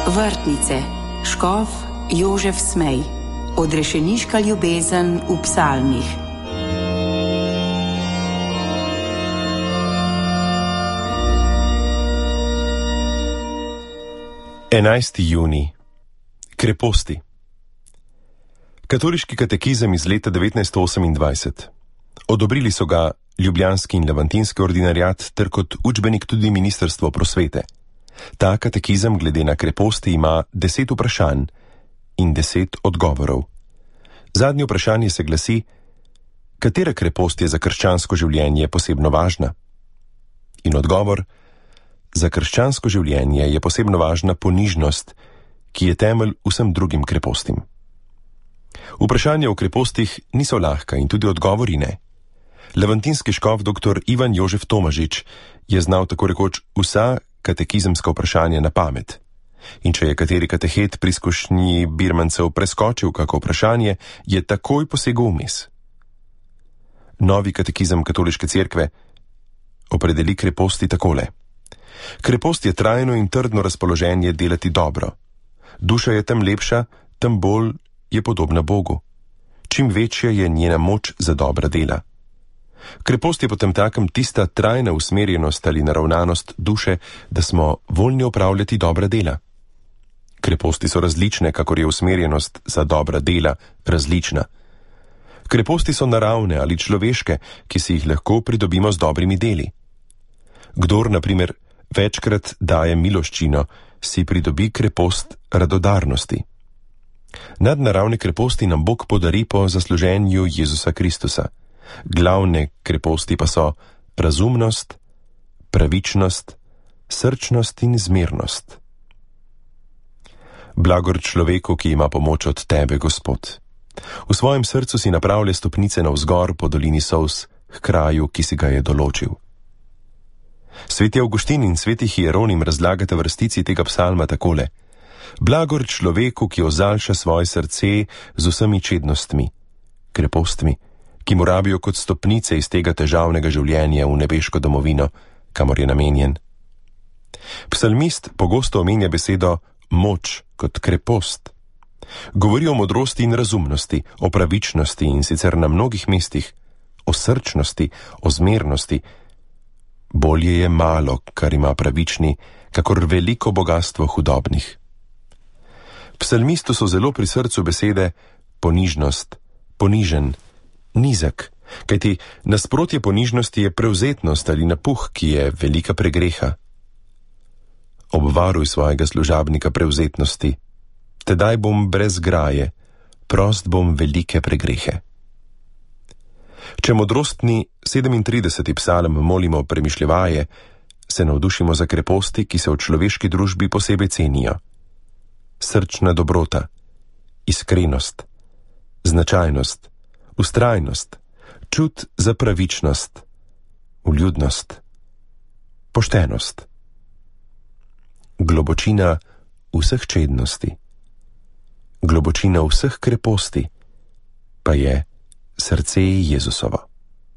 Vrtnice, škof Jožef Smej, odrešeniška ljubezen v psalmih. Junij. Kreposti. Katoliški katekizem iz leta 1928. Odobrili so ga ljubljanski in levantinski ordinariat ter kot učbenik tudi Ministrstvo prosvete. Ta katekizem glede na kreposti ima 10 vprašanj in 10 odgovorov. Zadnje vprašanje se glasi: katera krepost je za krščansko življenje posebno važna? In odgovor: za krščansko življenje je posebno važna ponižnost, ki je temelj vsem drugim krepostim. Vprašanja o krepostih niso lahka in tudi odgovori ne. Levantinski škof dr. Ivan Jožef Tomažič je znal tako rekoč vsa katekizemska vprašanja na pamet. In če je kateri katehet pri izkušnji birmancev preskočil kako vprašanje, je takoj posegel vmes. Novi katekizem katoliške cerkve opredeli kreposti takole. Krepost je trajno in trdno razpoloženje delati dobro. Duša je tem lepša, tem bolj je podobna Bogu. Čim večja je njena moč za dobra dela. Krepost je potem takem tista trajna usmerjenost ali naravnanost duše, da smo voljni opravljati dobra dela. Kreposti so različne, kakor je usmerjenost za dobra dela različna. Kreposti so naravne ali človeške, ki si jih lahko pridobimo z dobrimi deli. Kdor, na primer, večkrat daje miloščino, si pridobi krepost radodarnosti. Nadnaravne kreposti nam Bog podari po zasluženju Jezusa Kristusa. Glavne kreposti pa so razumnost, pravičnost, srčnost in zmernost. Blagor človeku, ki ima pomoč od tebe, Gospod. V svojem srcu si napravlja stopnice navzgor po dolini solz k kraju, ki si ga je določil. Sveti Avguštin in sveti Hieronim razlagata vrstici tega psalma takole: blagor človeku, ki ozalša svoje srce z vsemi čednostmi, krepostmi, ki mu rabijo kot stopnice iz tega težavnega življenja v nebeško domovino, kamor je namenjen. Psalmist pogosto omenja besedo moč kot krepost. Govori o modrosti in razumnosti, o pravičnosti in sicer na mnogih mestih, o srčnosti, o zmernosti. Bolje je malo, kar ima pravični, kakor veliko bogastvo hudobnih. Psalmistu so zelo pri srcu besede ponižnost, ponižen, nizek, kajti nasprotje ponižnosti je prevzetnost ali napuh, ki je velika pregreha. Obvaruj svojega služabnika prevzetnosti, tedaj bom brez graje, prost bom velike pregrehe. Če modrostni 37. psalm molimo premišljevaje, se navdušimo za kreposti, ki se v človeški družbi posebej cenijo. Srčna dobrota, iskrenost, značajnost, vztrajnost, čut za pravičnost, vljudnost, poštenost. Globočina vseh čednosti, globočina vseh kreposti pa je srce Jezusovo.